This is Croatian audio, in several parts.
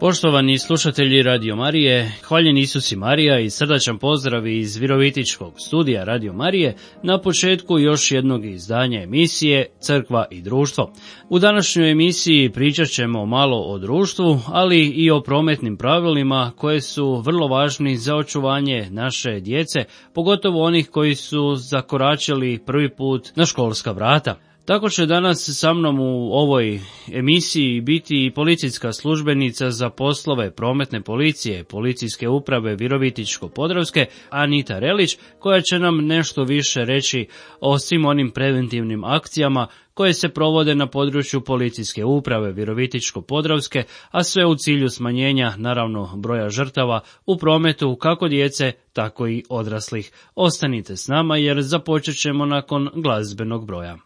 Poštovani slušatelji Radio Marije, hvaljen Isus i Marija i srdačan pozdrav iz Virovitičkog studija Radio Marije na početku još jednog izdanja emisije Crkva i društvo. U današnjoj emisiji pričat ćemo malo o društvu, ali i o prometnim pravilima koje su vrlo važni za očuvanje naše djece, pogotovo onih koji su zakoračili prvi put na školska vrata. Tako će danas sa mnom u ovoj emisiji biti i policijska službenica za poslove prometne policije, policijske uprave Virovitičko-Podravske, Anita Relić, koja će nam nešto više reći o svim onim preventivnim akcijama koje se provode na području policijske uprave Virovitičko-Podravske, a sve u cilju smanjenja, naravno, broja žrtava u prometu, kako djece, tako i odraslih. Ostanite s nama jer započet ćemo nakon glazbenog broja.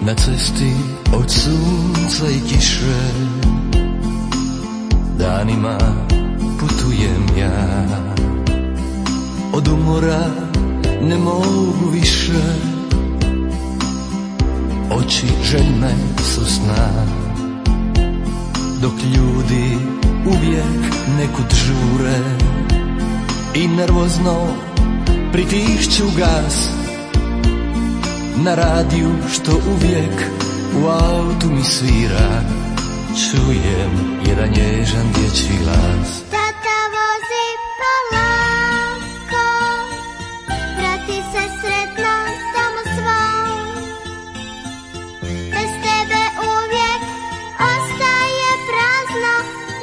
Na cesti od sunca i kiše danima putujem ja. Od umora ne mogu više, oči željne su sna. Dok ljudi uvijek nekud žure i nervozno pritišću gas. Na radiju što uvijek u autu mi svira, čujem jedan nježan dječji glas. Tata vozi polako, vrati se sretno tamo svom. Bez tebe uvijek ostaje prazno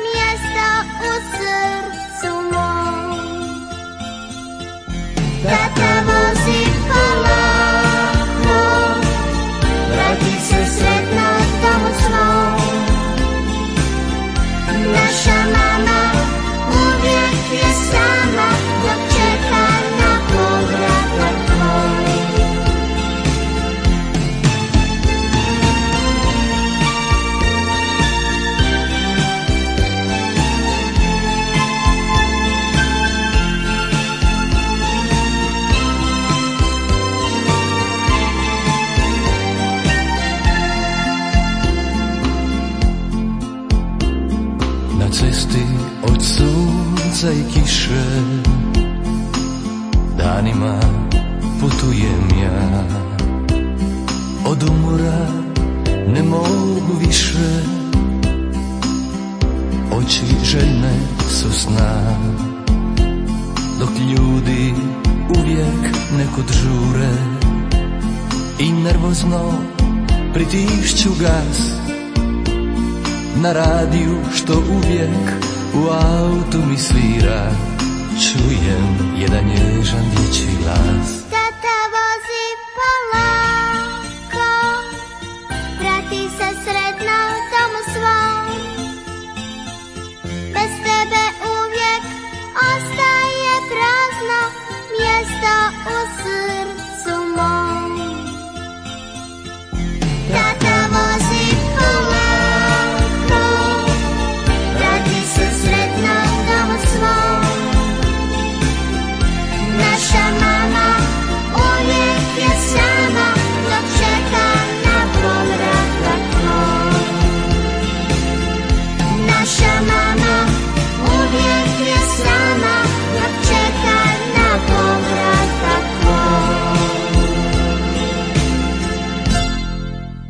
mjesto u srcu mom. Tata vozi polako, sretno tamo svom. Naša mama uvijek je sama dok čeka na povratak tvoj. Cesti od sunca i kiše danima putujem ja. Od umora ne mogu više, oči željne su sna. Dok ljudi uvijek nekud žure i nervozno pritišću gas. Na radiju što uvijek u autu mi svira, čujem jedan nježan dječji glas. Tata vozi polako, vrati se sretno tamo svom. Bez tebe uvijek ostaje prazno mjesto u srcu mom. Tata vozi polako, naša mama uvijek je sama dok čeka na povratak tvoj. Naša mama uvijek je sama dok čeka na povratak tvoj.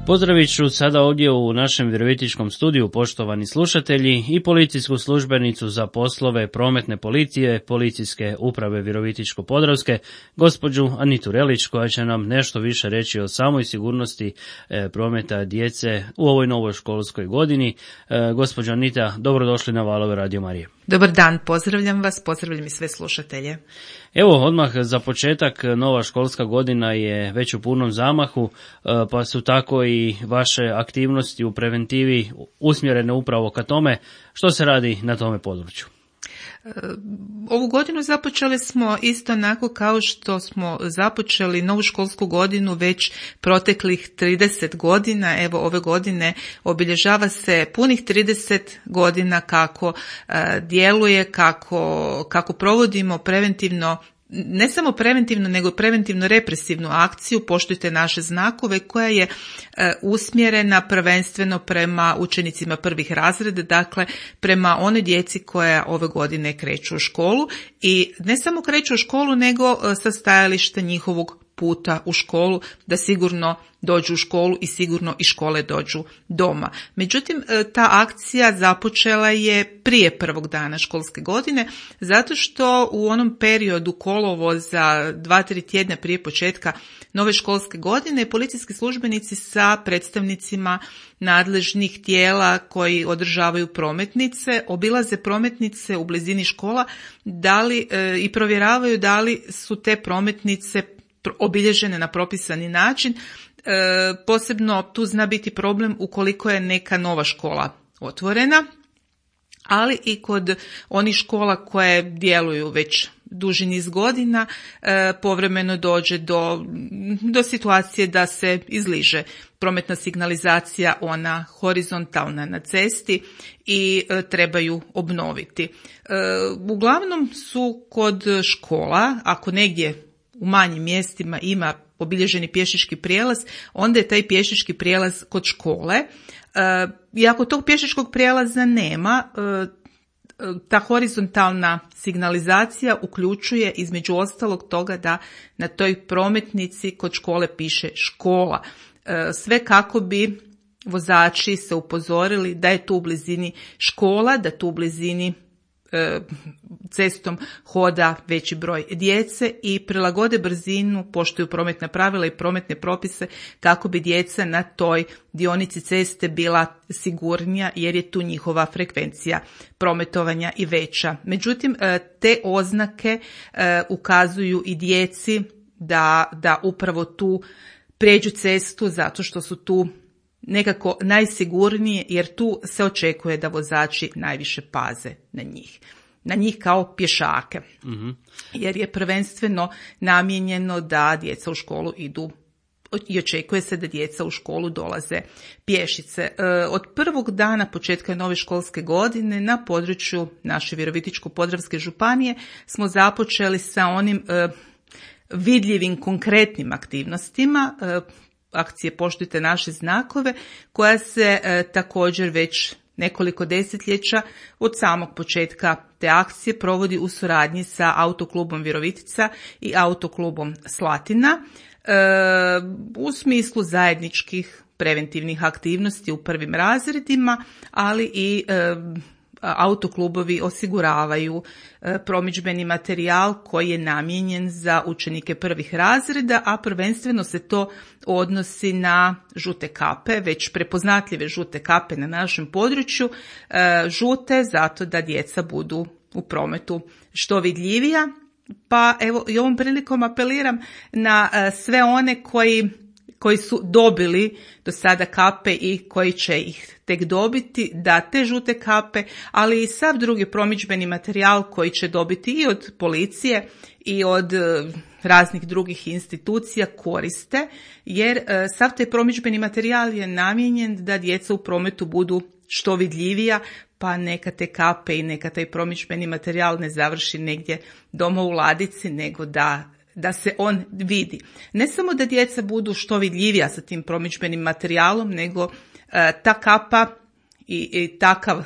Pozdravit ću sada ovdje u našem virovitičkom studiju, poštovani slušatelji, i policijsku službenicu za poslove prometne policije, policijske uprave Virovitičko-Podravske, gospođu Anitu Relić, koja će nam nešto više reći o samoj sigurnosti prometa djece u ovoj novoj školskoj godini. Gospođo Anita, dobrodošli na valove Radio Marije. Dobar dan, pozdravljam vas, pozdravljam i sve slušatelje. Evo, odmah za početak, nova školska godina je već u punom zamahu, pa su tako i vaše aktivnosti u preventivi usmjerene upravo ka tome. Što se radi na tome području? Ovu godinu započeli smo isto onako kao što smo započeli novu školsku godinu već proteklih 30 godina. Evo ove godine obilježava se punih 30 godina kako djeluje, kako provodimo preventivno, ne samo preventivno, nego preventivno represivnu akciju Poštujte naše znakove, koja je usmjerena prvenstveno prema učenicima prvih razreda, dakle prema onoj djeci koja ove godine kreću u školu, i ne samo kreću u školu nego sa stajališta njihovog puta u školu, da sigurno dođu u školu i sigurno iz škole dođu doma. Međutim, ta akcija započela je prije prvog dana školske godine, zato što u onom periodu kolovoza 2-3 tjedna prije početka nove školske godine policijski službenici sa predstavnicima nadležnih tijela koji održavaju prometnice obilaze prometnice u blizini škola i provjeravaju da li su te prometnice obilježene na propisani način. Posebno tu zna biti problem ukoliko je neka nova škola otvorena, ali i kod onih škola koje djeluju već duži niz godina povremeno dođe do situacije da se izliže prometna signalizacija, ona horizontalna na cesti, i trebaju obnoviti. Uglavnom su kod škola, ako negdje u manjim mjestima ima obilježeni pješački prijelaz, onda je taj pješački prijelaz kod škole. I ako tog pješačkog prijelaza nema, ta horizontalna signalizacija uključuje između ostalog toga da na toj prometnici kod škole piše škola. Sve kako bi vozači se upozorili da je tu u blizini škola, da tu u blizini cestom hoda veći broj djece i prilagode brzinu, poštuju prometna pravila i prometne propise kako bi djeca na toj dionici ceste bila sigurnija, jer je tu njihova frekvencija prometovanja i veća. Međutim, te oznake ukazuju i djeci da upravo tu prijeđu cestu zato što su tu nekako najsigurnije, jer tu se očekuje da vozači najviše paze na njih kao pješake. Mm-hmm. Jer je prvenstveno namijenjeno da djeca u školu idu i očekuje se da djeca u školu dolaze pješice. Od prvog dana početka nove školske godine na području naše Virovitičko-podravske županije smo započeli sa onim vidljivim konkretnim aktivnostima akcije Poštujte naše znakove, koja se također već nekoliko desetljeća od samog početka te akcije provodi u suradnji sa Autoklubom Virovitica i Autoklubom Slatina u smislu zajedničkih preventivnih aktivnosti u prvim razredima, ali i autoklubovi osiguravaju promidžbeni materijal koji je namijenjen za učenike prvih razreda, a prvenstveno se to odnosi na žute kape, već prepoznatljive žute kape na našem području, žute zato da djeca budu u prometu što vidljivija. Pa evo i ovom prilikom apeliram na sve one koji su dobili do sada kape i koji će ih tek dobiti, da te žute kape, ali i sav drugi promidžbeni materijal koji će dobiti i od policije i od raznih drugih institucija koriste, jer sav taj promidžbeni materijal je namijenjen da djeca u prometu budu što vidljivija, pa neka te kape i neka taj promidžbeni materijal ne završi negdje doma u ladici, nego da se on vidi. Ne samo da djeca budu što vidljivija sa tim promidžbenim materijalom, nego ta kapa i takav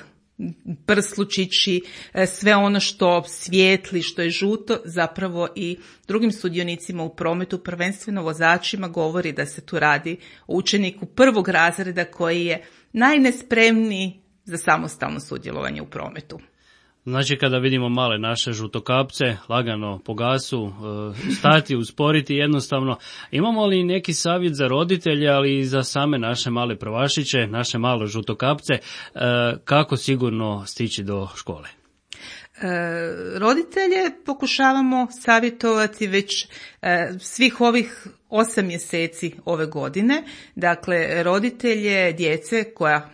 prslučići, sve ono što svijetli, što je žuto, zapravo i drugim sudionicima u prometu, prvenstveno vozačima, govori da se tu radi o učeniku prvog razreda koji je najnespremniji za samostalno sudjelovanje u prometu. Znači, kada vidimo male naše žutokapce, lagano po gasu, stati, usporiti jednostavno. Imamo li neki savjet za roditelje, ali i za same naše male prvašiće, naše male žutokapce, kako sigurno stići do škole? Roditelje pokušavamo savjetovati već svih ovih 8 mjeseci ove godine. Dakle, roditelje djece koja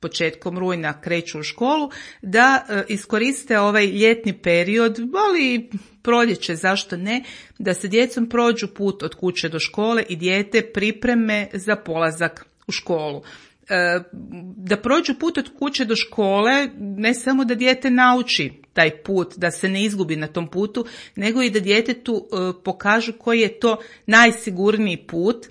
početkom rujna kreću u školu, da iskoriste ovaj ljetni period, ali i proljeće, zašto ne, da se djecom prođu put od kuće do škole i dijete pripreme za polazak u školu. Da prođu put od kuće do škole, ne samo da dijete nauči taj put, da se ne izgubi na tom putu, nego i da djetetu pokažu koji je to najsigurniji put.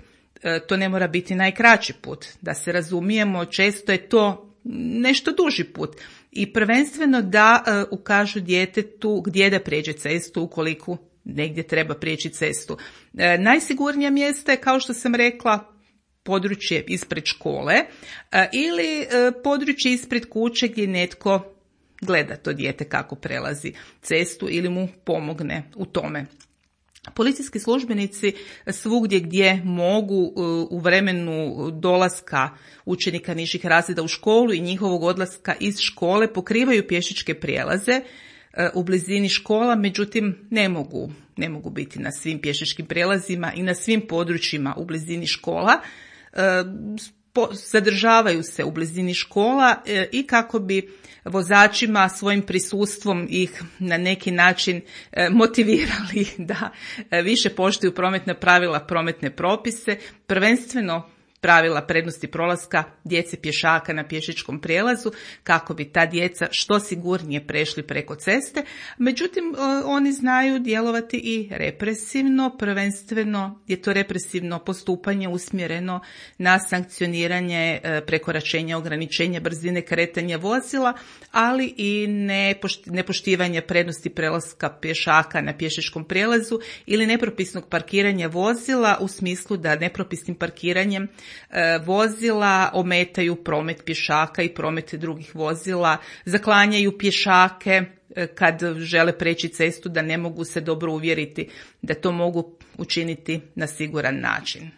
To ne mora biti najkraći put. Da se razumijemo, često je to nešto duži put. I prvenstveno da ukažu djetetu gdje da prijeđe cestu ukoliko negdje treba prijeći cestu. Najsigurnija mjesta je, kao što sam rekla, područje ispred škole ili područje ispred kuće gdje netko gleda to dijete kako prelazi cestu ili mu pomogne u tome. Policijski službenici svugdje gdje mogu u vremenu dolaska učenika nižih razreda u školu i njihovog odlaska iz škole pokrivaju pješačke prijelaze u blizini škola, međutim ne mogu biti na svim pješačkim prijelazima i na svim područjima u blizini škola. Zadržavaju se u blizini škola i kako bi vozačima svojim prisustvom ih na neki način motivirali da više poštuju prometna pravila, prometne propise, prvenstveno pravila prednosti prolaska djece pješaka na pješačkom prijelazu, kako bi ta djeca što sigurnije prešli preko ceste. Međutim, oni znaju djelovati i represivno, prvenstveno je to represivno postupanje usmjereno na sankcioniranje prekoračenja, ograničenja brzine kretanja vozila, ali i nepoštivanje prednosti prelaska pješaka na pješačkom prijelazu ili nepropisnog parkiranja vozila, u smislu da nepropisnim parkiranjem vozila ometaju promet pješaka i promet drugih vozila, zaklanjaju pješake kad žele preći cestu, da ne mogu se dobro uvjeriti da to mogu učiniti na siguran način.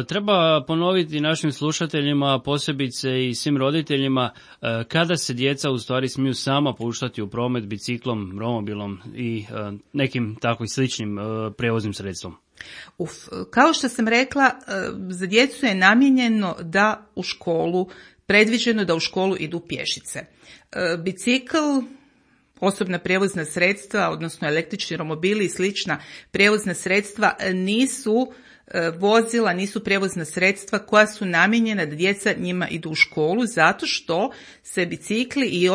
Treba ponoviti našim slušateljima, posebice i svim roditeljima, kada se djeca u stvari smiju sama puštati u promet biciklom, romobilom i nekim takvim sličnim prijevoznim sredstvom. Kao što sam rekla, za djecu je namijenjeno da u školu, predviđeno da u školu idu pješice. Bicikl, osobna prijevozna sredstva, odnosno električni romobili i slična prijevozna sredstva nisu vozila, nisu prijevozna sredstva koja su namijenjena da djeca njima idu u školu, zato što se bicikli i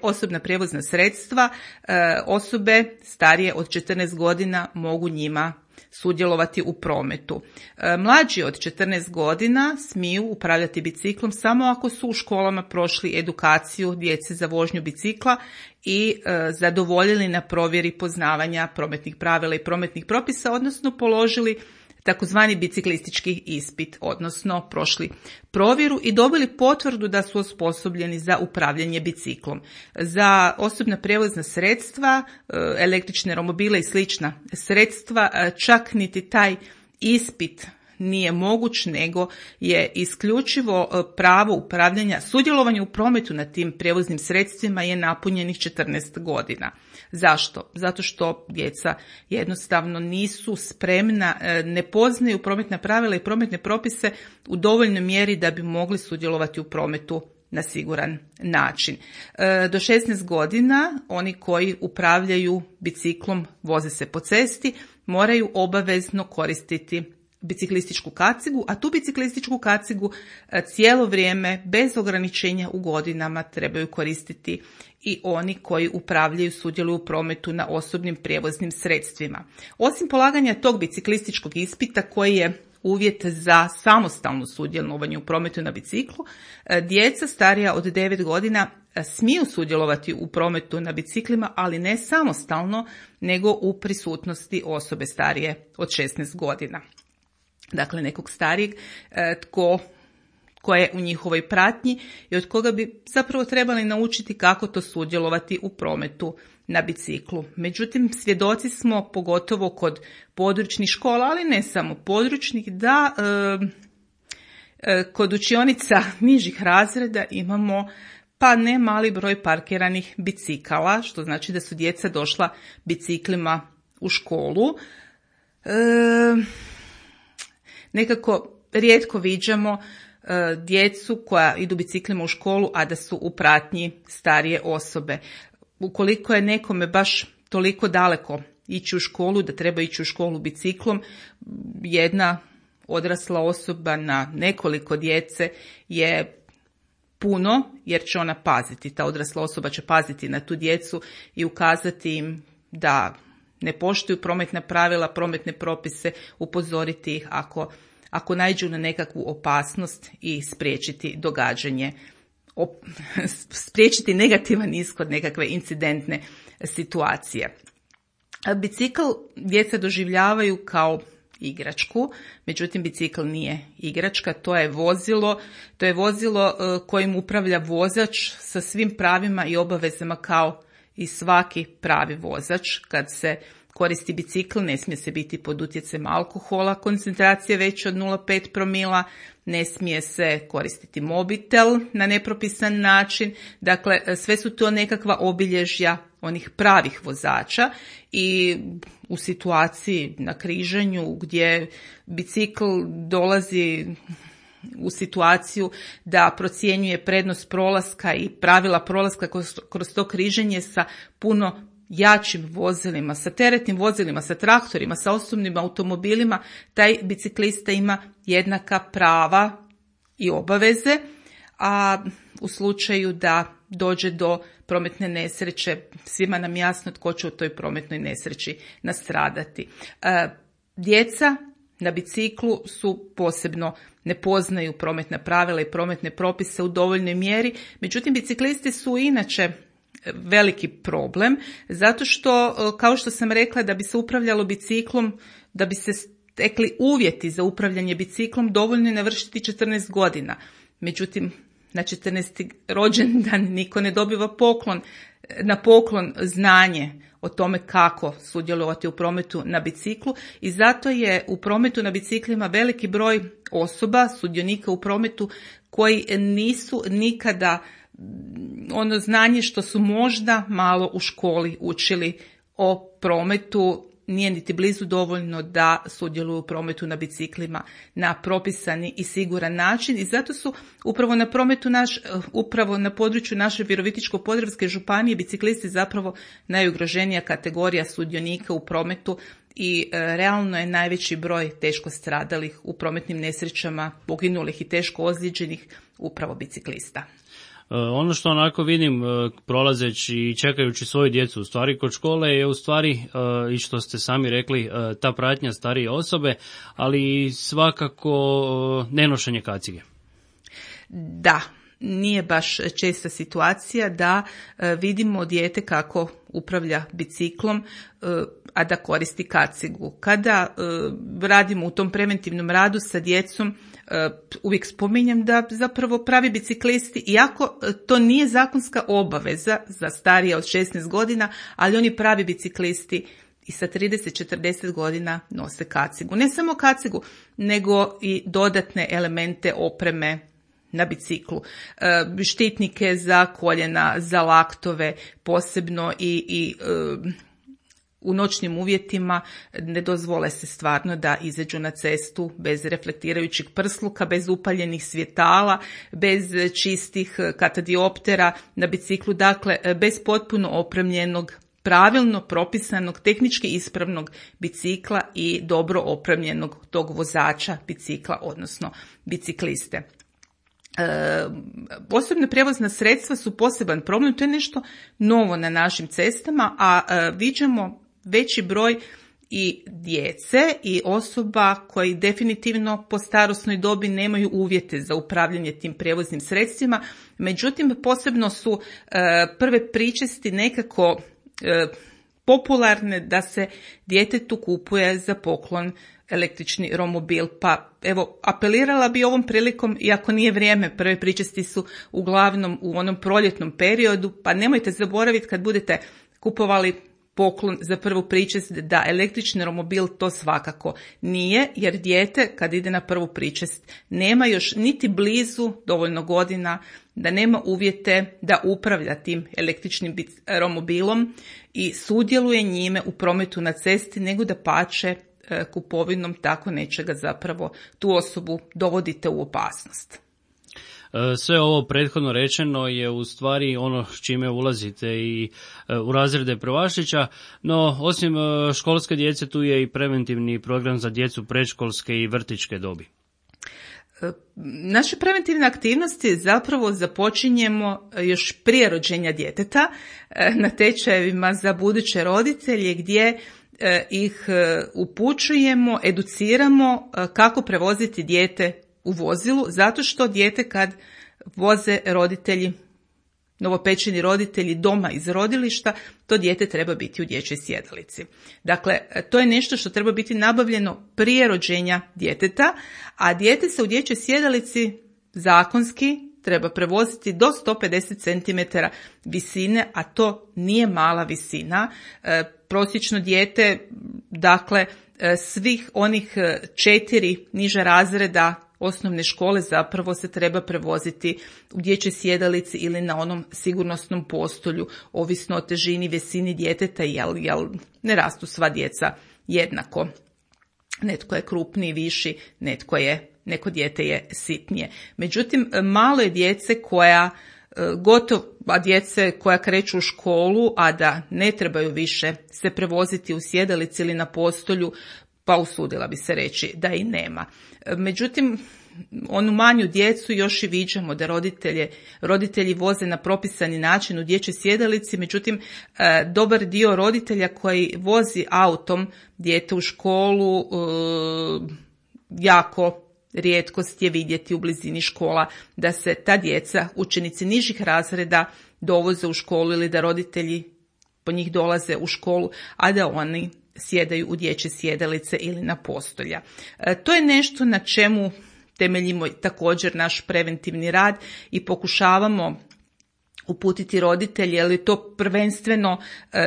osobna prijevozna sredstva osobe starije od 14 godina mogu njima sudjelovati u prometu. Mlađi od 14 godina smiju upravljati biciklom samo ako su u školama prošli edukaciju djece za vožnju bicikla i zadovoljili na provjeri poznavanja prometnih pravila i prometnih propisa, odnosno položili takozvani biciklistički ispit, odnosno prošli provjeru i dobili potvrdu da su osposobljeni za upravljanje biciklom. Za osobna prijevozna sredstva, električne romobile i slična sredstva, čak niti taj ispit nije moguć, nego je isključivo pravo upravljanja, sudjelovanje u prometu na tim prijevoznim sredstvima je napunjenih 14 godina. Zašto? Zato što djeca jednostavno nisu spremna, ne poznaju prometna pravila i prometne propise u dovoljnoj mjeri da bi mogli sudjelovati u prometu na siguran način. Do 16 godina oni koji upravljaju biciklom, voze se po cesti, moraju obavezno koristiti biciklističku kacigu, a tu biciklističku kacigu cijelo vrijeme bez ograničenja u godinama trebaju koristiti i oni koji upravljaju, sudjeluju u prometu na osobnim prijevoznim sredstvima. Osim polaganja tog biciklističkog ispita koji je uvjet za samostalno sudjelovanje u prometu na biciklu, djeca starija od 9 godina smiju sudjelovati u prometu na biciklima, ali ne samostalno, nego u prisutnosti osobe starije od 16 godina. Dakle, nekog starijeg tko je u njihovoj pratnji i od koga bi zapravo trebali naučiti kako to sudjelovati u prometu na biciklu. Međutim, svjedoci smo, pogotovo kod područnih škola, ali ne samo područnih, da kod učionica nižih razreda imamo pa ne mali broj parkiranih bicikala, što znači da su djeca došla biciklima u školu. Nekako rijetko viđamo djecu koja idu biciklima u školu, a da su u pratnji starije osobe. Ukoliko je nekome baš toliko daleko ići u školu, da treba ići u školu biciklom, jedna odrasla osoba na nekoliko djece je puno, jer će ona paziti. Ta odrasla osoba će paziti na tu djecu i ukazati im da ne poštuju prometna pravila, prometne propise, upozoriti ih ako naiđu na nekakvu opasnost i spriječiti događanje, spriječiti negativan ishod nekakve incidentne situacije. Bicikl djeca doživljavaju kao igračku, međutim bicikl nije igračka, to je vozilo kojim upravlja vozač sa svim pravima i obavezama kao i svaki pravi vozač. Kad se koristi bicikl, ne smije se biti pod utjecajem alkohola, koncentracije veće od 0,5 promila, ne smije se koristiti mobitel na nepropisan način. Dakle, sve su to nekakva obilježja onih pravih vozača i u situaciji na križanju gdje bicikl dolazi u situaciju da procjenjuje prednost prolaska i pravila prolaska kroz to križanje sa puno jačim vozilima, sa teretnim vozilima, sa traktorima, sa osobnim automobilima, taj biciklista ima jednaka prava i obaveze, a u slučaju da dođe do prometne nesreće, svima nam jasno tko će u toj prometnoj nesreći nastradati. Djeca na biciklu su posebno, ne poznaju prometna pravila i prometne propise u dovoljnoj mjeri, međutim biciklisti su inače veliki problem, zato što, kao što sam rekla, da bi se upravljalo biciklom, da bi se stekli uvjeti za upravljanje biciklom, dovoljno je navršiti 14 godina. Međutim, na 14. rođendan niko ne dobiva na poklon znanje o tome kako sudjelovati u prometu na biciklu i zato je u prometu na biciklima veliki broj osoba, sudionika u prometu koji nisu nikada ono znanje što su možda malo u školi učili o prometu, nije niti blizu dovoljno da sudjeluju u prometu na biciklima na propisani i siguran način i zato su upravo na području naše Virovitičko-podravske županije biciklisti zapravo najugroženija kategorija sudionika u prometu i realno je najveći broj teško stradalih u prometnim nesrećama, poginulih i teško ozlijeđenih upravo biciklista. Ono što onako vidim prolazeći i čekajući svoju djecu u stvari kod škole je u stvari i što ste sami rekli ta pratnja starije osobe, ali svakako nenošenje kacige. Da, nije baš česta situacija da vidimo dijete kako upravlja biciklom, a da koristi kacigu. Kada radimo u tom preventivnom radu sa djecom, uvijek spominjem da zapravo pravi biciklisti, iako to nije zakonska obaveza za starije od 16 godina, ali oni pravi biciklisti i sa 30-40 godina nose kacigu. Ne samo kacigu, nego i dodatne elemente opreme na biciklu. Štitnike za koljena, za laktove, posebno i u noćnim uvjetima ne dozvole se stvarno da izađu na cestu bez reflektirajućeg prsluka, bez upaljenih svjetala, bez čistih katadioptera na biciklu, dakle bez potpuno opremljenog, pravilno propisanog, tehnički ispravnog bicikla i dobro opremljenog tog vozača bicikla, odnosno bicikliste. Osobna prijevozna sredstva su poseban problem, to je nešto novo na našim cestama, a viđamo veći broj i djece i osoba koji definitivno po starosnoj dobi nemaju uvjete za upravljanje tim prijevoznim sredstvima, međutim posebno su prve pričesti nekako popularne da se djetetu kupuje za poklon električni romobil, pa evo apelirala bi ovom prilikom, iako nije vrijeme, prve pričesti su uglavnom u onom proljetnom periodu, pa nemojte zaboraviti kad budete kupovali poklon za prvu pričest da električni romobil to svakako nije, jer dijete kad ide na prvu pričest nema još niti blizu dovoljno godina da nema uvjete da upravlja tim električnim romobilom i sudjeluje njime u prometu na cesti, nego da pače kupovinom tako nečega zapravo tu osobu dovodite u opasnost. Sve ovo prethodno rečeno je u stvari ono s čime ulazite i u razrede prvašića, no osim školske djece tu je i preventivni program za djecu predškolske i vrtićke dobi. Naše preventivne aktivnosti zapravo započinjemo još prije rođenja djeteta na tečajevima za buduće roditelje gdje ih upućujemo, educiramo kako prevoziti dijete u vozilu, zato što dijete kad voze roditelji, novopečeni roditelji doma iz rodilišta, to dijete treba biti u dječjoj sjedalici. Dakle, to je nešto što treba biti nabavljeno prije rođenja djeteta, a dijete se u dječjoj sjedalici zakonski treba prevoziti do 150 cm visine, a to nije mala visina. Prosječno dijete, dakle, svih onih 4 niža razreda osnovne škole zapravo se treba prevoziti u dječjoj sjedalici ili na onom sigurnosnom postolju, ovisno o težini, visini djeteta, jel ne rastu sva djeca jednako. Netko je krupniji, viši, neko dijete je sitnije. Međutim, malo je djece djece koja kreću u školu, a da ne trebaju više se prevoziti u sjedalici ili na postolju, pa usudila bi se reći da i nema. Međutim, onu manju djecu još i viđamo da roditelji voze na propisani način u dječjoj sjedalici, međutim, dobar dio roditelja koji vozi autom dijete u školu, jako rijetkost je vidjeti u blizini škola da se ta djeca, učenici nižih razreda, dovoze u školu ili da roditelji po njih dolaze u školu, a da oni sjedaju u dječje sjedalice ili na postolja. To je nešto na čemu temeljimo također naš preventivni rad i pokušavamo uputiti roditelje, jer je to prvenstveno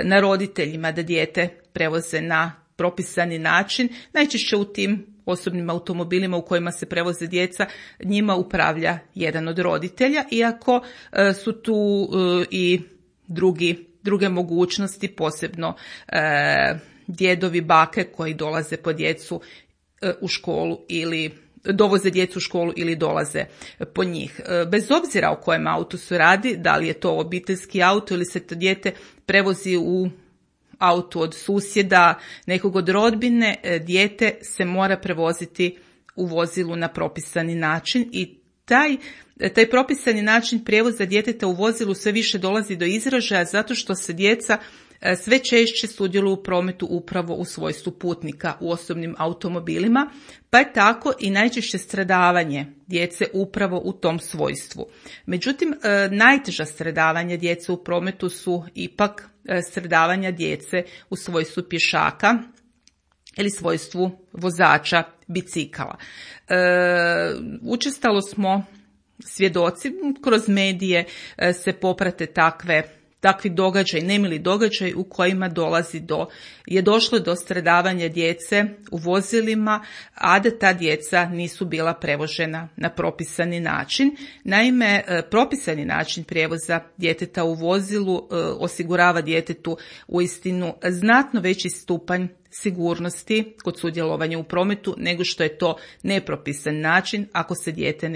na roditeljima da dijete prevoze na propisani način. Najčešće u tim osobnim automobilima u kojima se prevoze djeca, njima upravlja jedan od roditelja, iako su tu i druge mogućnosti, posebno djedovi, bake koji dolaze po djecu u školu ili dovoze djecu u školu ili dolaze po njih. Bez obzira o kojem autu se radi, da li je to obiteljski auto ili se to dijete prevozi u auto od susjeda, nekog od rodbine, dijete se mora prevoziti u vozilu na propisani način i taj propisani način prijevoza djeteta u vozilu sve više dolazi do izražaja zato što se djeca sve češće sudjeluju u prometu upravo u svojstvu putnika u osobnim automobilima, pa je tako i najčešće stradavanje djece upravo u tom svojstvu. Međutim, najteža stradavanja djece u prometu su ipak stradavanja djece u svojstvu pješaka ili svojstvu vozača bicikala. Učestalo smo svjedoci, kroz medije se poprate takvi događaj, nemili događaj u kojima je došlo do stradavanja djece u vozilima, a da ta djeca nisu bila prevožena na propisani način. Naime, propisani način prijevoza djeteta u vozilu osigurava djetetu uistinu znatno veći stupanj sigurnosti kod sudjelovanja u prometu nego što je to nepropisan način ako se dijete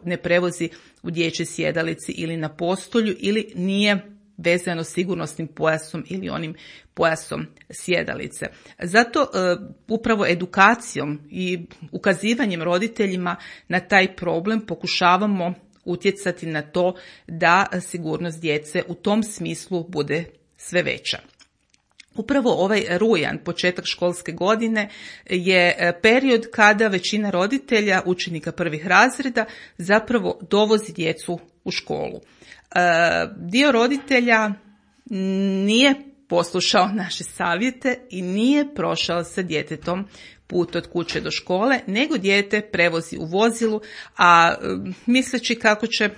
ne prevozi u dječjoj sjedalici ili na postolju ili nije vezano sigurnosnim pojasom ili onim pojasom sjedalice. Zato upravo edukacijom i ukazivanjem roditeljima na taj problem pokušavamo utjecati na to da sigurnost djece u tom smislu bude sve veća. Upravo ovaj rujan, početak školske godine, je period kada većina roditelja, učenika prvih razreda, zapravo dovozi djecu u školu. Dio roditelja nije poslušao naše savjete i nije prošao sa djetetom put od kuće do škole, nego dijete prevozi u vozilu, a misleći kako će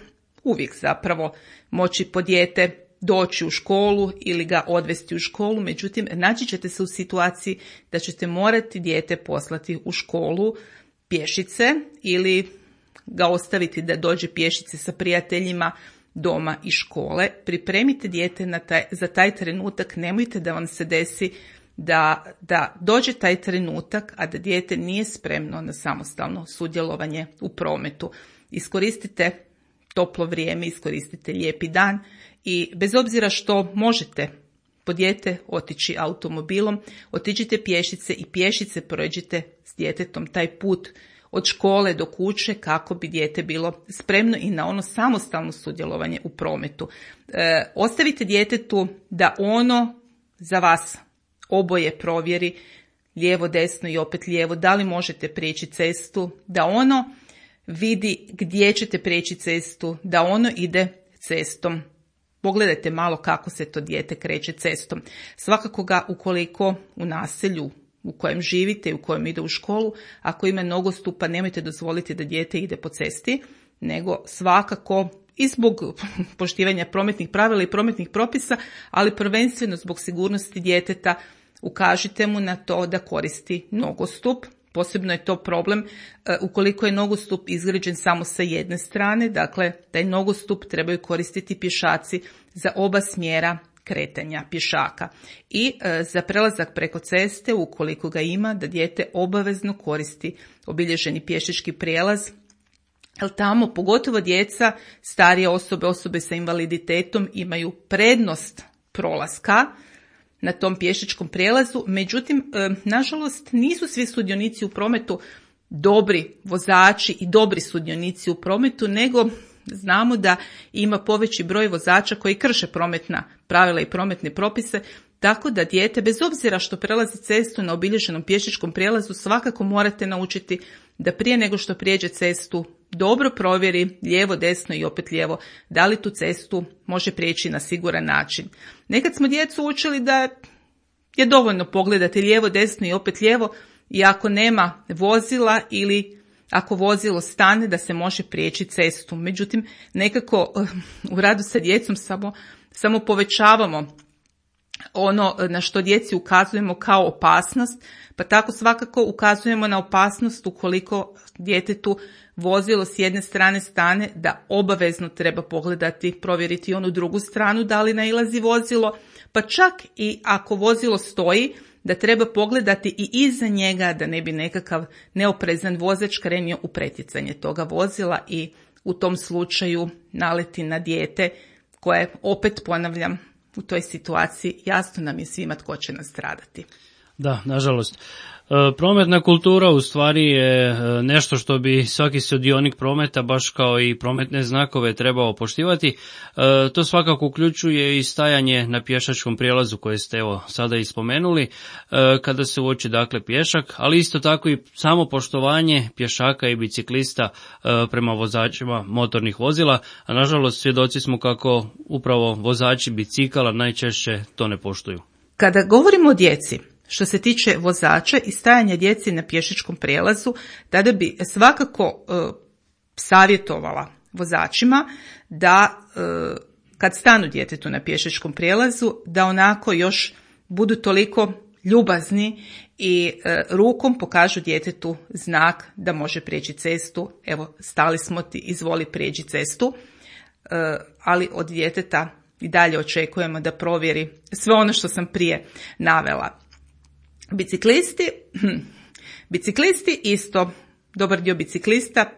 uvijek zapravo moći po dijete doći u školu ili ga odvesti u školu, međutim naći ćete se u situaciji da ćete morati dijete poslati u školu pješice ili ga ostaviti da dođe pješice sa prijateljima doma i škole. Pripremite dijete za taj trenutak, nemojte da vam se desi da dođe taj trenutak, a da dijete nije spremno na samostalno sudjelovanje u prometu. Iskoristite toplo vrijeme, iskoristite lijepi dan i bez obzira što možete po dijete otići automobilom, otiđite pješice i pješice prođite s djetetom taj put od škole do kuće kako bi dijete bilo spremno i na ono samostalno sudjelovanje u prometu. Ostavite djetetu da ono za vas oboje provjeri, lijevo, desno i opet lijevo, da li možete prijeći cestu, da ono vidi gdje ćete prijeći cestu, da ono ide cestom. Pogledajte malo kako se to dijete kreće cestom. Svakako ga ukoliko u naselju u kojem živite i u kojem ide u školu, ako ima nogostupa, nemojte dozvoliti da dijete ide po cesti, nego svakako i zbog poštivanja prometnih pravila i prometnih propisa, ali prvenstveno zbog sigurnosti djeteta ukažite mu na to da koristi nogostup. Posebno je to problem ukoliko je nogostup izgrađen samo sa jedne strane, dakle taj nogostup trebaju koristiti pješaci za oba smjera kretanja pješaka. I za prelazak preko ceste, ukoliko ga ima, da dijete obavezno koristi obilježeni pješački prijelaz, jer tamo pogotovo djeca, starije osobe, osobe sa invaliditetom imaju prednost prolaska na tom pješačkom prijelazu. Međutim, nažalost, nisu svi sudionici u prometu dobri vozači i dobri sudionici u prometu, nego znamo da ima poveći broj vozača koji krše prometna pravila i prometne propise, tako da dijete, bez obzira što prelazi cestu na obilježenom pješačkom prijelazu, svakako morate naučiti da prije nego što prijeđe cestu dobro provjeri lijevo, desno i opet lijevo, da li tu cestu može prijeći na siguran način. Nekad smo djecu učili da je dovoljno pogledati lijevo, desno i opet lijevo, i ako nema vozila ili ako vozilo stane, da se može prijeći cestu. Međutim, nekako u radu sa djecom samo povećavamo ono na što djeci ukazujemo kao opasnost, pa tako svakako ukazujemo na opasnost ukoliko djetetu vozilo s jedne strane stane, da obavezno treba pogledati, provjeriti onu drugu stranu da li nailazi vozilo, pa čak i ako vozilo stoji, da treba pogledati i iza njega da ne bi nekakav neoprezan vozač krenio u pretjecanje toga vozila i u tom slučaju naleti na dijete koje, opet ponavljam, u toj situaciji jasno nam je svima tko će nastradati. Da, nažalost. Prometna kultura u stvari je nešto što bi svaki sudionik prometa, baš kao i prometne znakove, trebao poštivati. To svakako uključuje i stajanje na pješačkom prijelazu koje ste evo sada i spomenuli, kada se uoči dakle pješak, ali isto tako i samo poštovanje pješaka i biciklista prema vozačima motornih vozila, a nažalost svjedoci smo kako upravo vozači bicikala najčešće to ne poštuju. Kada govorimo o djeci, što se tiče vozača i stajanja djeci na pješačkom prijelazu, tada bi svakako savjetovala vozačima da kad stanu djetetu na pješačkom prijelazu, da onako još budu toliko ljubazni i rukom pokažu djetetu znak da može prijeći cestu. Evo, stali smo ti, izvoli prijeđi cestu, ali od djeteta i dalje očekujemo da provjeri sve ono što sam prije navela. Biciklisti isto, dobar dio biciklista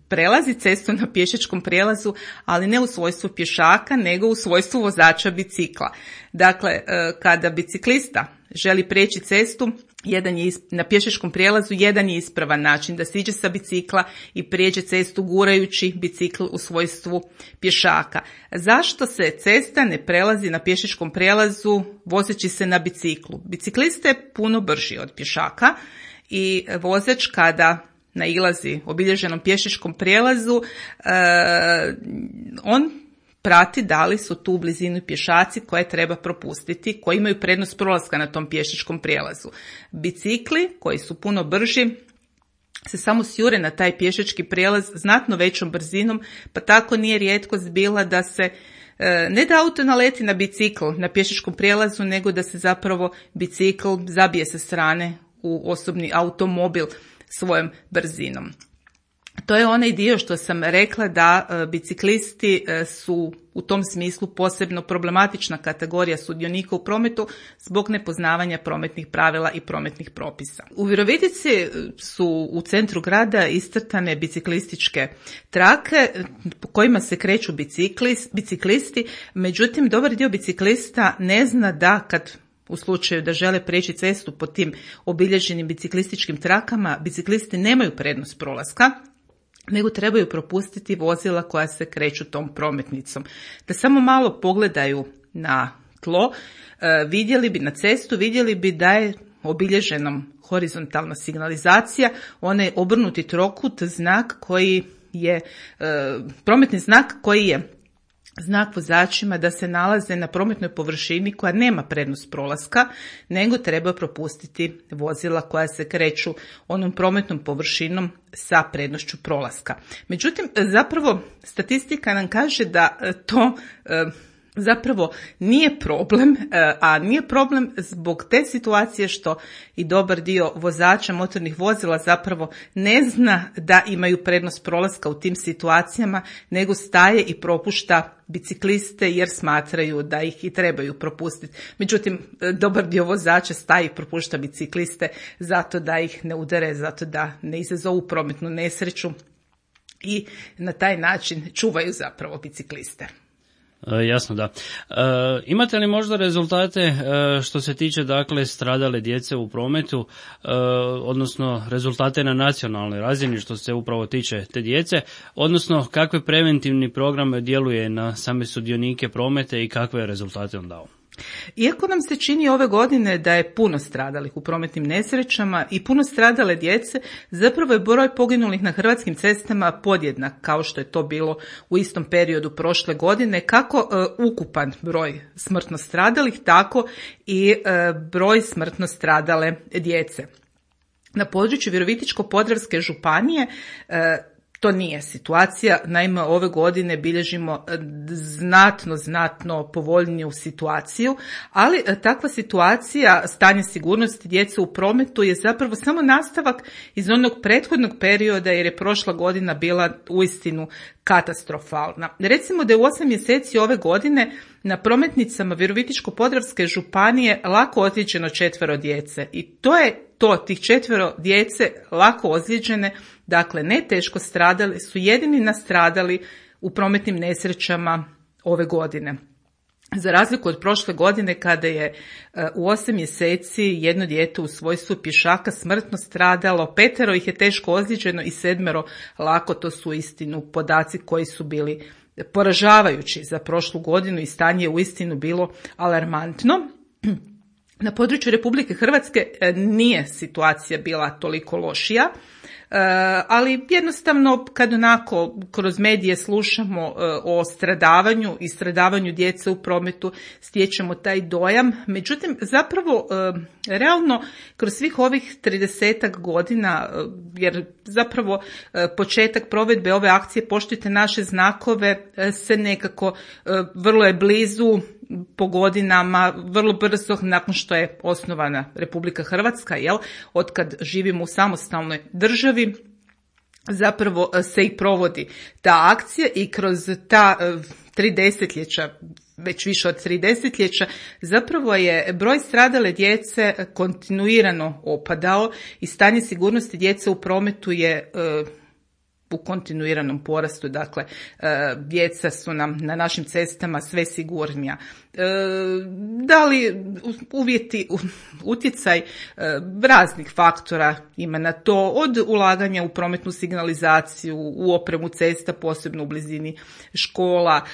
prelazi cestu na pješačkom prijelazu, ali ne u svojstvu pješaka, nego u svojstvu vozača bicikla. Dakle, kada biciklista želi prijeći cestu, na pješačkom prijelazu jedan je ispravan način da siđe sa bicikla i prijeđe cestu gurajući bicikl u svojstvu pješaka. Zašto se cesta ne prelazi na pješačkom prijelazu vozeći se na biciklu? Biciklista je puno brži od pješaka i vozač kada nailazi obilježenom pješačkom prijelazu, on prati da li su tu u blizini pješaci koje treba propustiti, koji imaju prednost prolaska na tom pješačkom prijelazu. Bicikli koji su puno brži se samo sjure na taj pješački prijelaz znatno većom brzinom, pa tako nije rijetkost bila da se ne da auto naleti na bicikl na pješačkom prijelazu, nego da se zapravo bicikl zabije sa strane u osobni automobil svojom brzinom. to je onaj dio što sam rekla da biciklisti su u tom smislu posebno problematična kategorija sudionika u prometu zbog nepoznavanja prometnih pravila i prometnih propisa. U Virovitici su u centru grada iscrtane biciklističke trake po kojima se kreću biciklisti, međutim dobar dio biciklista ne zna da kad u slučaju da žele preći cestu po tim obilježenim biciklističkim trakama, biciklisti nemaju prednost prolaska, nego trebaju propustiti vozila koja se kreću tom prometnicom. Da samo malo pogledaju na tlo, vidjeli bi na cestu, vidjeli bi da je obilježenom horizontalna signalizacija, onaj obrnuti trokut, znak koji je, prometni znak koji je znak vozačima da se nalaze na prometnoj površini koja nema prednost prolaska, nego treba propustiti vozila koja se kreću onom prometnom površinom sa prednošću prolaska. Međutim, zapravo statistika nam kaže da to zapravo nije problem, a nije problem zbog te situacije što i dobar dio vozača motornih vozila zapravo ne zna da imaju prednost prolaska u tim situacijama, nego staje i propušta bicikliste jer smatraju da ih i trebaju propustiti. Međutim, dobar dio vozača staje i propušta bicikliste zato da ih ne udare, zato da ne izazovu prometnu nesreću i na taj način čuvaju zapravo bicikliste. Jasno, da. Imate li možda rezultate što se tiče dakle stradale djece u prometu, odnosno rezultate na nacionalnoj razini što se upravo tiče te djece, odnosno kakve preventivni program djeluje na same sudionike prometa i kakve rezultate on dao? Iako nam se čini ove godine da je puno stradalih u prometnim nesrećama i puno stradale djece, zapravo je broj poginulih na hrvatskim cestama podjednak kao što je to bilo u istom periodu prošle godine, kako ukupan broj smrtno stradalih, tako i broj smrtno stradale djece. Na području Virovitičko-podravske županije to nije situacija, naime ove godine bilježimo znatno povoljniju situaciju, ali takva situacija, stanje sigurnosti djece u prometu je zapravo samo nastavak iz onog prethodnog perioda jer je prošla godina bila uistinu katastrofalna. Recimo da je u 8 mjeseci ove godine na prometnicama Virovitičko-podravske županije lako ozlijeđeno 4 djece i to je to, tih 4 djece lako ozlijeđene, dakle ne teško stradali, su jedini nastradali u prometnim nesrećama ove godine. Za razliku od prošle godine kada je u 8 mjeseci jedno dijete u svojstvu pješaka smrtno stradalo, 5 ih je teško ozlijeđeno i 7 lako, to su uistinu podaci koji su bili poražavajući za prošlu godinu i stanje je uistinu bilo alarmantno. Na području Republike Hrvatske nije situacija bila toliko lošija, ali jednostavno kad onako kroz medije slušamo o stradavanju i stradavanju djece u prometu stječemo taj dojam. Međutim, zapravo realno kroz svih ovih 30-ak godina, jer zapravo početak provedbe ove akcije Poštujte naše znakove se nekako vrlo je blizu po godinama, vrlo brzo nakon što je osnovana Republika Hrvatska, otkad živimo u samostalnoj državi, zapravo se i provodi ta akcija i kroz ta 3 desetljeća, već više od 3 desetljeća, zapravo je broj stradale djece kontinuirano opadao i stanje sigurnosti djece u prometu je u kontinuiranom porastu, dakle djeca su nam na našim cestama sve sigurnija. Da li utjecaj raznih faktora ima na to, od ulaganja u prometnu signalizaciju, u opremu cesta, posebno u blizini škola,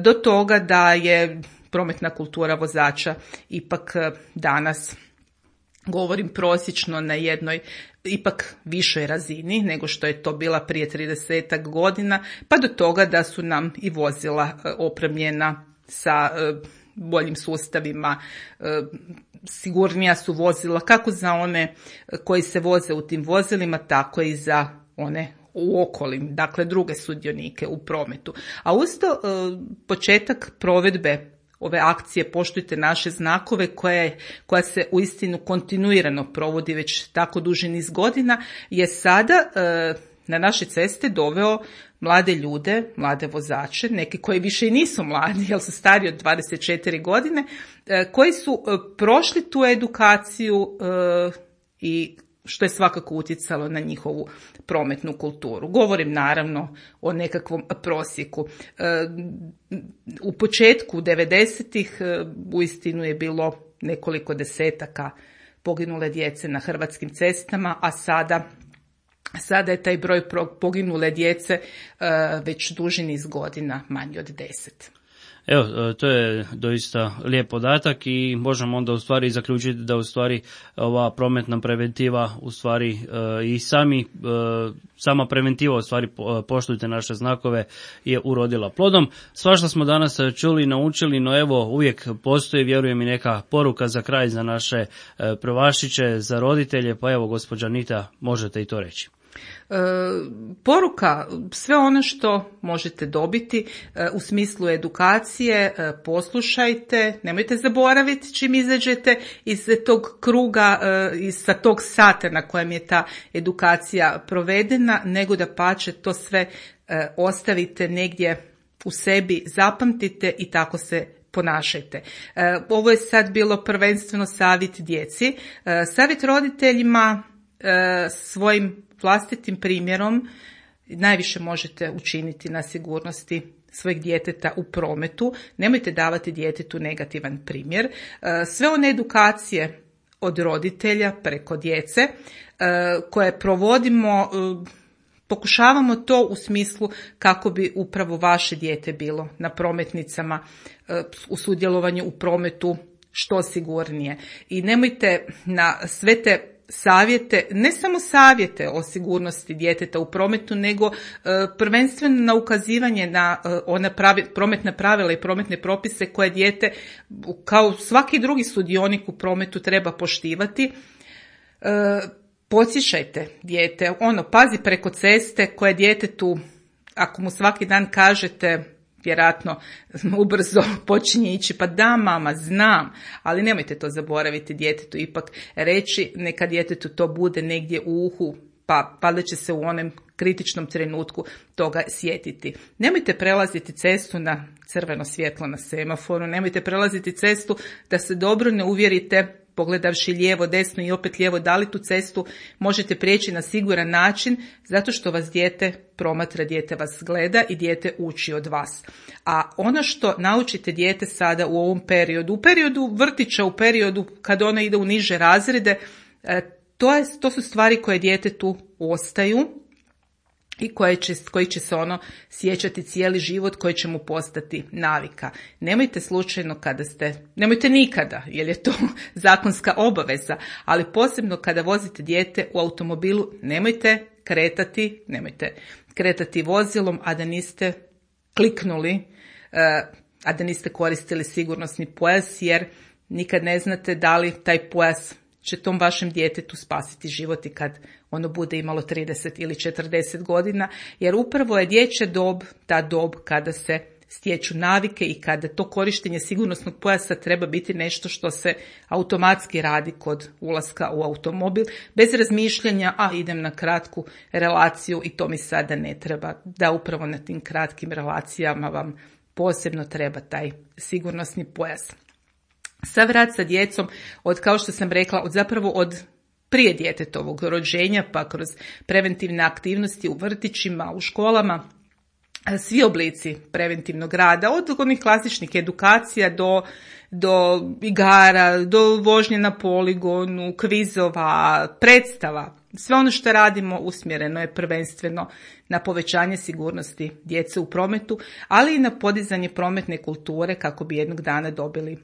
do toga da je prometna kultura vozača ipak danas, govorim prosječno, na jednoj ipak višoj razini nego što je to bila prije 30-ak godina, pa do toga da su nam i vozila opremljena sa boljim sustavima, sigurnija su vozila kako za one koji se voze u tim vozilima, tako i za one u okolim, dakle druge sudionike u prometu. A uz to početak provedbe ove akcije Poštujte naše znakove koja se uistinu kontinuirano provodi već tako duži niz godina je sada na naše ceste doveo mlade ljude, mlade vozače, neki koji više i nisu mladi, jer su stari od 24 godine, koji su prošli tu edukaciju i što je svakako utjecalo na njihovu prometnu kulturu. Govorim naravno o nekakvom prosjeku. U početku 90-ih uistinu je bilo nekoliko desetaka poginule djece na hrvatskim cestama, a sada je taj broj poginule djece već duži niz godina manji od 10. Evo, to je doista lijep podatak i možemo onda u stvari zaključiti da u stvari ova prometna preventiva u stvari i sama preventiva u stvari poštujte naše znakove je urodila plodom. Svašta smo danas čuli i naučili, no evo uvijek postoji, vjerujem, i neka poruka za kraj za naše prvašiće, za roditelje, pa evo gospođa Anita, možete i to reći. Poruka, sve ono što možete dobiti u smislu edukacije, poslušajte, nemojte zaboraviti čim izađete iz tog kruga, sa tog sata na kojem je ta edukacija provedena, nego da pače to sve ostavite negdje u sebi, zapamtite i tako se ponašajte. Ovo je sad bilo prvenstveno savjet djeci. Savjet roditeljima, svojim vlastitim primjerom najviše možete učiniti na sigurnosti svojeg djeteta u prometu. Nemojte davati djetetu negativan primjer. Sve one edukacije od roditelja preko djece koje provodimo, pokušavamo to u smislu kako bi upravo vaše dijete bilo na prometnicama, u sudjelovanju u prometu što sigurnije. I nemojte na sve te savjete, ne samo savjete o sigurnosti djeteta u prometu, nego prvenstveno na ukazivanje na ona prometna pravila i prometne propise koje dijete, kao svaki drugi sudionik u prometu, treba poštivati. Podsjećajte dijete, pazi preko ceste koje djetetu, ako mu svaki dan kažete, vjerojatno ubrzo počinje ići, pa da mama, znam, ali nemojte to zaboraviti djetetu, ipak reći, neka djetetu to bude negdje u uhu, pa valjda će se u onom kritičnom trenutku toga sjetiti. Nemojte prelaziti cestu na crveno svjetlo na semaforu, nemojte prelaziti cestu da se dobro ne uvjerite, pogledavši lijevo, desno i opet lijevo, da li tu cestu možete prijeći na siguran način, zato što vas dijete promatra, dijete vas gleda i dijete uči od vas. A ono što naučite dijete sada u ovom periodu, u periodu vrtića, u periodu kad ono ide u niže razrede, to su stvari koje djetetu ostaju i koji će se ono sjećati cijeli život, koji će mu postati navika. Nemojte slučajno nemojte nikada, jer je to zakonska obaveza, ali posebno kada vozite dijete u automobilu, nemojte kretati vozilom, a da niste kliknuli, a da niste koristili sigurnosni pojas, jer nikad ne znate da li taj pojas će tom vašem djetetu spasiti život i kad ono bude imalo 30 ili 40 godina, jer upravo je dječja dob ta dob kada se stječu navike i kada to korištenje sigurnosnog pojasa treba biti nešto što se automatski radi kod ulaska u automobil, bez razmišljanja, idem na kratku relaciju i to mi sada ne treba, da upravo na tim kratkim relacijama vam posebno treba taj sigurnosni pojas. Sav rad sa djecom, kao što sam rekla, od prije djetetovog rođenja, pa kroz preventivne aktivnosti u vrtićima, u školama, svi oblici preventivnog rada, od onih klasičnih edukacija do igara, do vožnje na poligonu, kvizova, predstava. Sve ono što radimo usmjereno je prvenstveno na povećanje sigurnosti djece u prometu, ali i na podizanje prometne kulture kako bi jednog dana dobili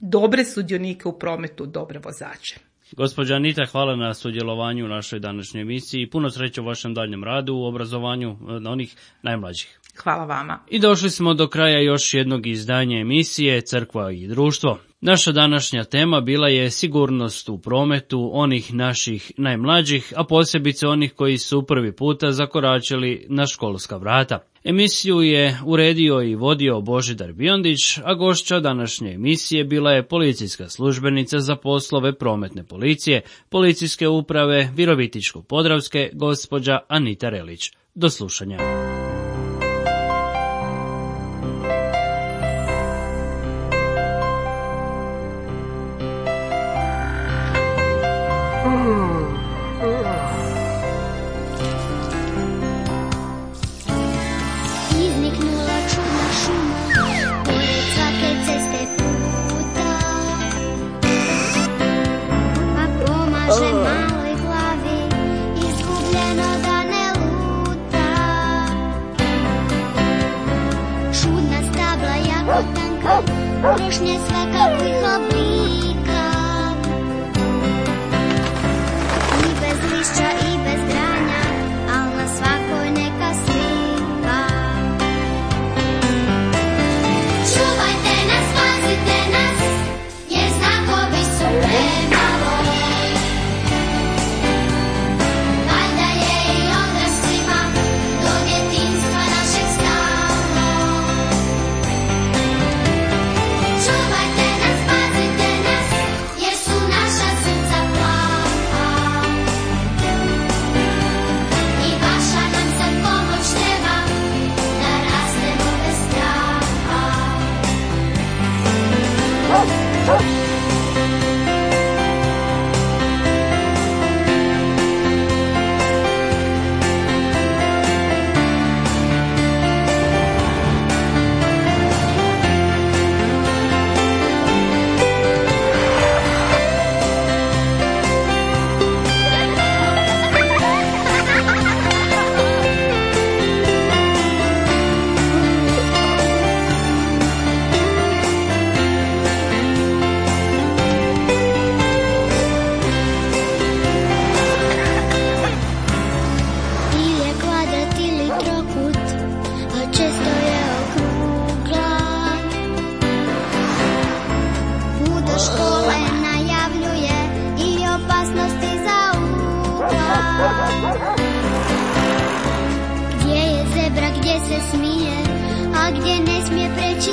dobre sudionike u prometu, dobre vozače. Gospođa Anita, hvala na sudjelovanju u našoj današnjoj emisiji i puno sreće u vašem daljnjem radu u obrazovanju onih najmlađih. Hvala vama. I došli smo do kraja još jednog izdanja emisije Crkva i društvo. Naša današnja tema bila je sigurnost u prometu onih naših najmlađih, a posebice onih koji su prvi puta zakoračili na školska vrata. Emisiju je uredio i vodio Božidar Biondić, a gošća današnje emisije bila je policijska službenica za poslove prometne policije, policijske uprave Virovitičko-podravske, gospođa Anita Relić. Do slušanja. Izniknula čudna šuma, pored svake ceste puta, a pomaže maloj glavi, izgubljeno da ne luta. Čudna stabla jako tanka, krošnje svakakvih oblika, i bez lišća i bez granja, al na svakoj neka slika. Čuvajte nas, pazite nas, jer znakovi su premalo. Valjda je i odraslima do djetinjstva našeg stalo. Čuvajte nas, pazite nas, jer su naša srca plava. I vaša nam sad pomoć treba, da rastemo bez straha. Ili je kvadrat ili trokut, a često je okrugla. Put do škole najavljuje i opasnosti za ugla. Gdje je zebra, gdje se smije, a gdje ne smije preći